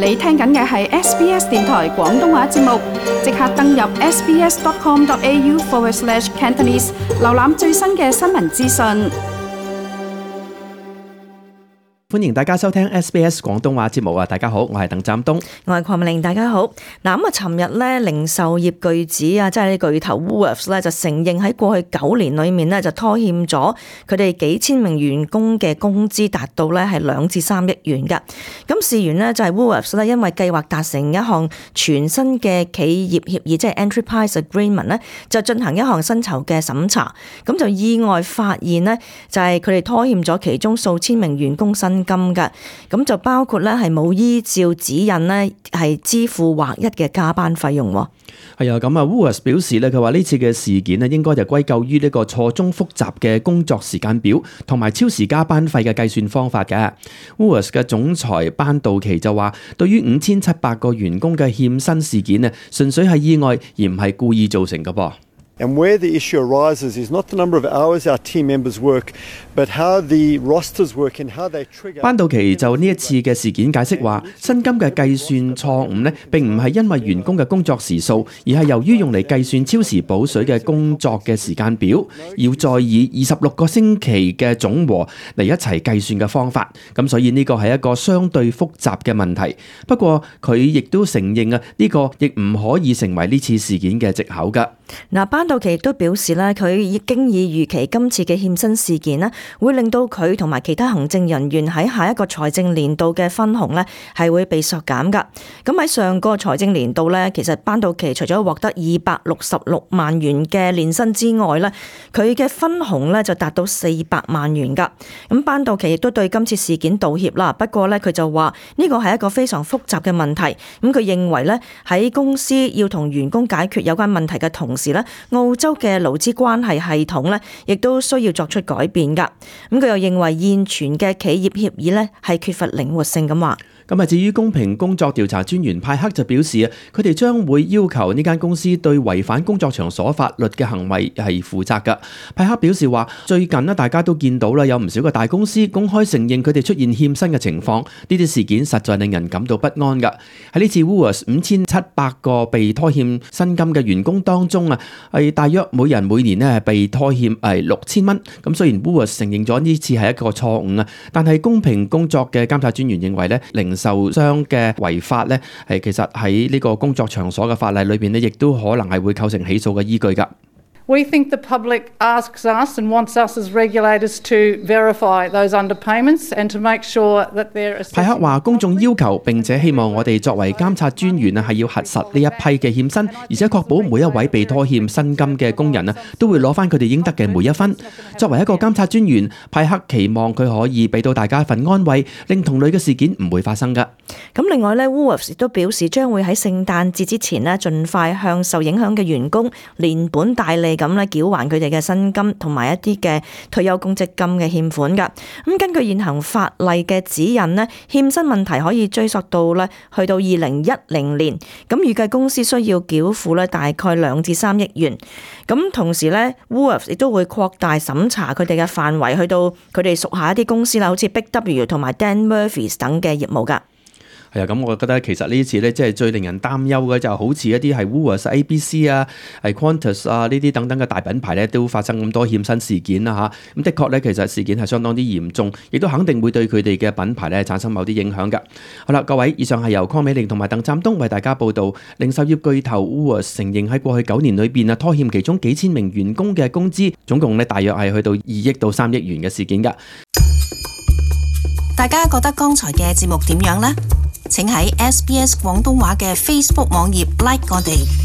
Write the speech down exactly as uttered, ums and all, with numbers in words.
你聽緊嘅係 S B S 電台廣東話節目，即刻登入 sbs.com.au forward slash Cantonese， 瀏覽最新嘅新聞資訊。歡迎大家收聽 S B S 廣東話節目啊！大家好，我係鄧湛東，我係鄺美玲，大家好。嗱咁啊，尋日咧零售業巨子啊，即係啲巨頭 Woolworths 咧，就承認喺過去九年裏面咧就拖欠咗佢哋幾千名員工嘅工資，達到咧係兩至三億元㗎。咁事緣呢，就係 Woolworths 咧，因為計劃達成一項全新嘅企業協議，即係 Enterprise Agreement 咧，就進行一項薪酬嘅審查，咁就意外發現呢，就係佢哋拖欠咗其中數千名員工薪金嘅，咁就包括咧係冇依照指引咧係支付劃一嘅加班費用。係啊，咁啊 Woolworths 表示咧，佢話呢次嘅事件咧應該就歸咎於呢個錯綜複雜嘅工作時間表同埋超時加班費嘅計算方法嘅。Woolworths 嘅總裁班道奇就話，對於五千七百個員工嘅欠薪事件咧，純粹係意外而唔係故意造成嘅噃。And where the issue arises is not the number of hours our team members work, but how the rosters work and how they trigger. 班道奇就呢一次嘅事件解釋話，薪金嘅計算錯誤呢並唔係因為員工嘅工作時數，而係由於用嚟計算超時補水嘅工作嘅時間表，要再以二十六個星期嘅總和嚟一齊計算嘅方法。咁所以呢個係一個相對複雜嘅問題。不過佢亦都承認啊，呢個亦唔可以成為呢次事件嘅藉口㗎。嗱，班道奇亦都表示咧，佢已經已預期今次嘅欠薪事件咧，會令到佢同埋其他行政人員喺下一個財政年度嘅分紅咧係會被削減㗎。咁喺上個財政年度咧，其實班道奇除咗獲得二百六十六萬元嘅年薪之外咧，佢嘅分紅咧就達到四百萬元㗎。咁班道奇亦都對今次事件道歉啦。不過咧，佢就話呢個係一個非常複雜嘅問題。咁佢認為咧，喺公司要同員工解決有關問題嘅同時咧，澳洲嘅勞資關係系統咧，亦都需要作出改變㗎。咁佢又認為現存嘅企業協議咧係缺乏靈活性咁話。咁啊，至於公平工作調查專員派克就表示啊，佢哋將會要求呢間公司對違反工作場所法律嘅行為係負責㗎。派克表示話，最近呢大家都見到啦，有唔少嘅大公司公開承認佢哋出現欠薪嘅情況，呢啲事件實在令人感到不安㗎。喺呢次 Woolworths 五千七百個被拖欠薪金嘅員工當中啊，係大約每人每年呢係被拖欠係六千蚊。咁雖然 Woolworths 承認咗呢次係一個錯誤啊，但係公平工作嘅監察專員認為呢，零受商嘅違法咧，係其實喺呢個工作場所嘅法例裏邊咧，亦都可能係會構成起訴嘅依據㗎。We think the public asks us and wants us as regulators to verify those underpayments and to make sure that they're assessing. 派克話：公眾要求並且希望我哋作為監察專員啊，係要核實呢一批嘅欠薪，而且確保每一位被拖欠薪金嘅工人啊，都會攞翻佢哋應得嘅每一分。作為一個監察專員，派克期望佢可以俾到大家一份安慰，令同類嘅事件唔會發生㗎。咁另外咧 ，Woolworths 亦都表示將會喺聖誕節之前呢，盡快向受影響嘅員工連本帶利咁咧繳還佢哋嘅薪金同埋一啲嘅退休公積金嘅欠款㗎。咁根據現行法例嘅指引呢，欠薪問題可以追溯到咧去到二零一零年。咁預計公司需要繳付咧大概兩至三億元。咁同時咧 ，Woolworths 亦都會擴大審查佢哋嘅範圍，去到佢哋屬下一啲公司啦，好似 Big W 同埋 Dan Murphy's 等嘅業務㗎。係啊，咁我覺得其實呢一次咧，即係最令人擔憂嘅就好似一啲係 Woolworths、A B C 啊、係 Qantas 啊呢啲等等嘅大品牌咧，都發生咁多欠薪事件啦嚇。咁的確咧，其實事件係相當之嚴重，亦都肯定會對佢哋嘅品牌咧產生某啲影響㗎。好啦，各位，以上係由鄺美玲同埋鄧湛東為大家報導，零售業巨頭 Woolworths 承認喺過去九年裏邊啊拖欠其中幾千名員工嘅工資，總共咧大約係去到二億到三億元嘅事件㗎。大家覺得剛才嘅節目點樣呢？請喺 S B S 廣東話嘅 Facebook 網頁 like 我哋。